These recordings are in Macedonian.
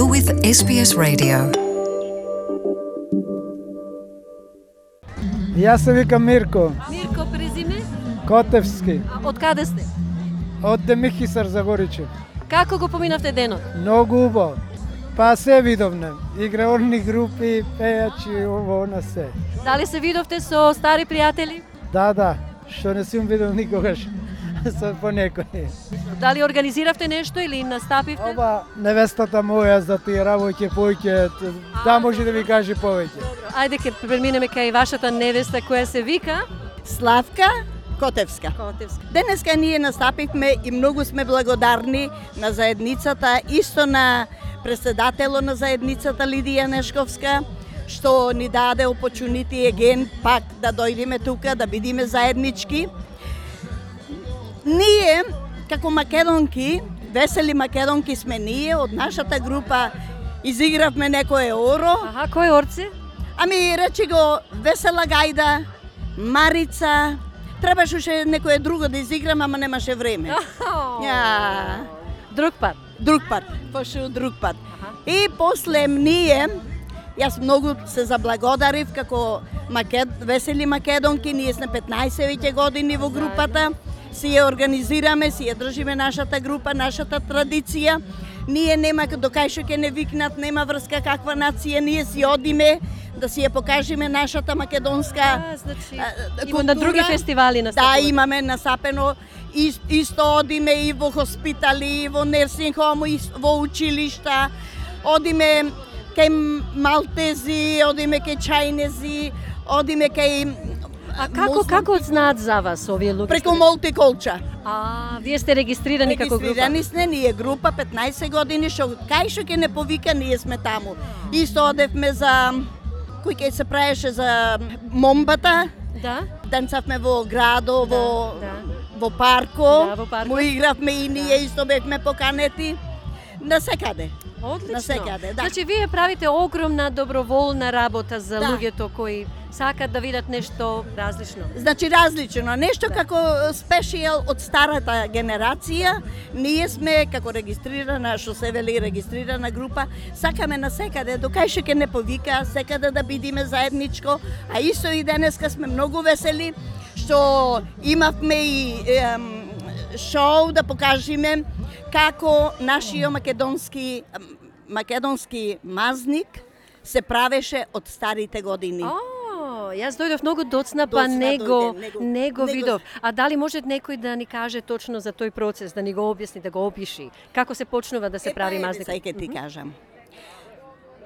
You're with SBS Radio. Јас се викам Мирко. Мирко, презиме? Котевски. Од каде сте? Од Демихисар Загоричев. Како го поминавте денот? Многу убаво. Па се видовме. Играорни групи, пејачи, ово на се. Дали се видовте со стари пријатели? Да, што не сум видел никогаш со по некој. Дали организиравте нешто или настапивте? Ова невестата моја за тие работи повеќе, да може да ви каже повеќе. Добро, ајде ке преминеме кај вашата невеста која се вика Славка Котевска. Котевска. Денеска ние настапивме и многу сме благодарни на заедницата, исто на председателот на заедницата Лидија Нешковска, што ни даде опочунити еген пак да дојдеме тука, да бидиме заеднички. Ние, како македонки, весели македонки сме ние, од нашата група изигравме некое оро. Аха, кој орци? Ами, речи го, Весела Гајда, Марица, требаше уште некое друго да изиграм, ама немаше време. Ја. Друг пат. Друг пат, пошел друг пат. И после ние, јас многу се заблагодарив како весели македонки, ние сме 15 веќе години во групата, си ја организираме, си ја држиме нашата група, нашата традиција. Ние нема докај што ќе не викнат, нема врска каква нација, ние си одиме да си ја покажеме нашата македонска Значи, култура. на други фестивали настапувате? Да, имаме насапено. Исто одиме и во хоспитали, и во нерсинг хом, и во училишта. Одиме кај малтези, одиме кај чајнези, одиме кај... А како знаат за вас овие луѓе? Преку Мултиколча. Вие сте регистрирани како група? Регистрирани сме ние група 15 години, што кај што ќе не повика, ние сме таму. Исто одевме за... кој ќе се правеше за момбата. Да. Танцавме во градо, во парко. Да, во парко. Му игравме и ние, исто бевме поканети. Насекаде. Одлично. Насекаде, да. Значи, вие правите огромна доброволна работа за Да. луѓето кои сакат да видат нешто различно. Значи различно, нешто како спешијал од старата генерација. Ние сме како регистрирана, што се вели регистрирана група, сакаме насекаде, докај што ќе не повика, секаде да бидиме заедничко, а исто и денеска сме многу весели што имавме и шоу да покажеме како нашиот македонски мазник се правеше од старите години. Јас дојдов многу доцна, па не го видов. А дали може некој да ни каже точно за тој процес, да ни го објасни, да го опиши? Како се почнува да се прави мазник? Сега ќе ти кажам.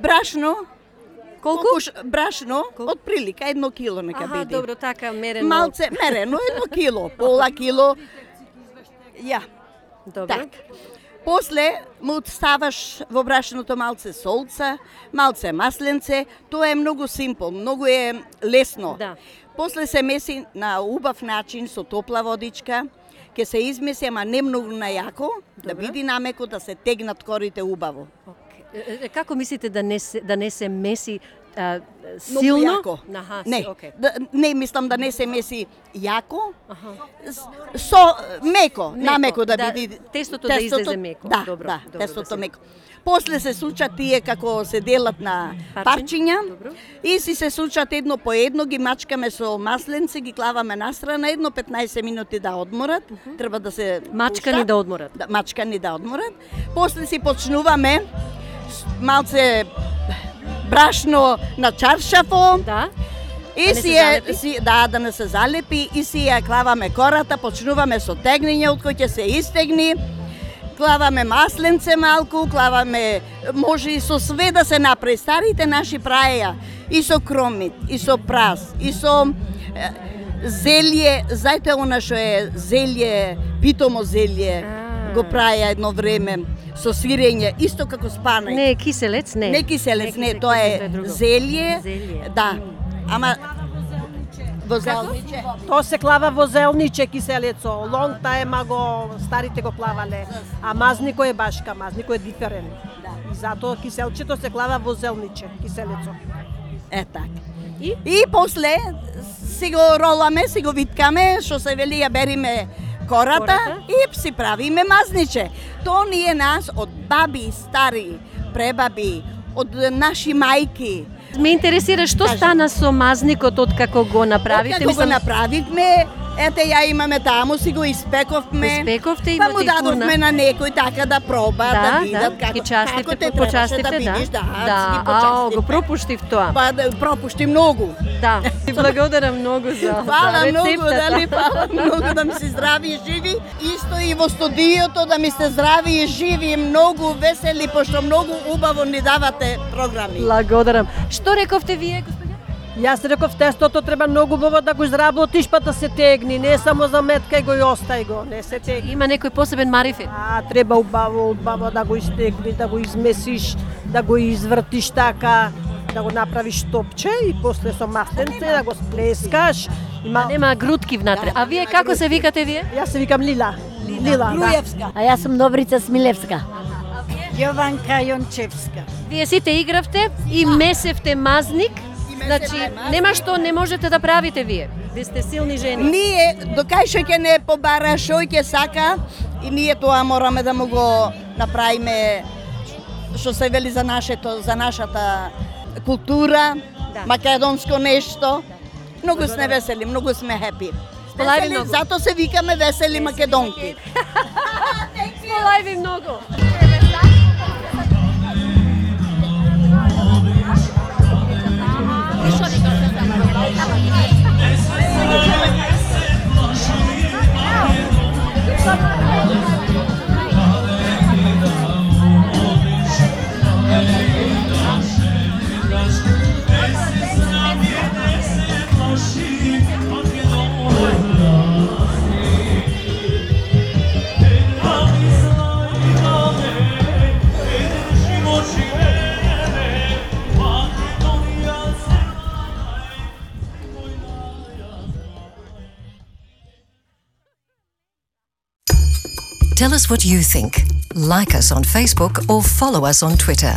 Брашно. Колку? Брашно, од прилика 1 кило нека биде. Добро, така мерено. Малце мерено 1 кило, пола кило. Ја. Добро. Так. После му ставаш во брашното малце солца, малце масленце, тоа е многу симпл, многу е лесно. Да. После се меси на убав начин со топла водичка, ќе се измеси, ама не многу најако, да биде намеко, да се тегнат корите убаво. Како мислите да не се меси Силно? силно? Јако. Не, не мислам да не се меси јако. Со меко, намеко да биде. Тестото да излезе меко. Да, Добро, да, добро тестото да се... меко. После се сучат тие како се делат на парчиња и се сучат едно по едно, ги мачкаме со масленце, ги клаваме настрана, едно 15 минути да одморат. Треба да се мачкани да одморат. Да, мачкани да одморат. После си почнуваме малце брашно на чаршафо. Да. И да не се залепи и си ја клаваме кората, почнуваме со тегнење од кој ќе се истегни. Клаваме масленце малку, клаваме, може и со све да се направи. Старите наши праеја и со кромит, и со прас, и со зелје, знаете она што е зелје, питомо зелје, го праеја едно време со сирење, исто како спанај. Не е киселец, не. Не киселец, не, тоа е зелје. Да. Ама возелниче. Тоа се клава возелниче киселецо. Лонг тајма го старите го клавале. А мазнико е башка, мазнико е диферен. И затоа киселчето се клава возелниче, киселецо. Так. И после си го роламе, си го виткаме, што се вели ја бериме кората и си правиме мазниче. То ни е нас од баби, стари, пребаби, од наши мајки. Ме интересира што стана со мазникот од како го направите? Како го направивме, ете ја имаме таму, си го испековме. Испековте и па му дадовме на некој така да проба, да видат како те требаше да видиш, да, го пропуштив тоа. Па пропушти многу. Да, ти благодарам многу за Фала многу, рецептата. дали, фала многу да ми се здрави и живи. Исто и во студиото да ми сте здрави и живи и многу весели, пошто многу убаво ни давате програми. Благодарам. Што рековте вие, господине? Јас реков тестото треба многу убаво да го изработиш па да се тегни, не само за меткај го и остај го, не се тегни. Има некој посебен марифет? Треба убаво да го истегни, да го измесиш, да го извртиш така, да го направиш топче и после со масленце да го сплескаш. Нема грудки внатре. А вие како се викате вие? Јас се викам Лила. Лила, Груевска. А јас сум Добрица Смилевска. Јованка Јончевска. Вие сите игравте и месевте мазник. Значи, нема што не можете да правите вие. Ви сте силни жени. Ние, докај што ќе не побара, што ќе сака, и ние тоа мораме да му го направиме, што се вели за нашата култура, македонско нешто. Многу сме весели, многу сме хепи. Сполајви многу. Зато се викаме весели македонки. Сполајви многу. Tell us what you think. Like us on Facebook or follow us on Twitter.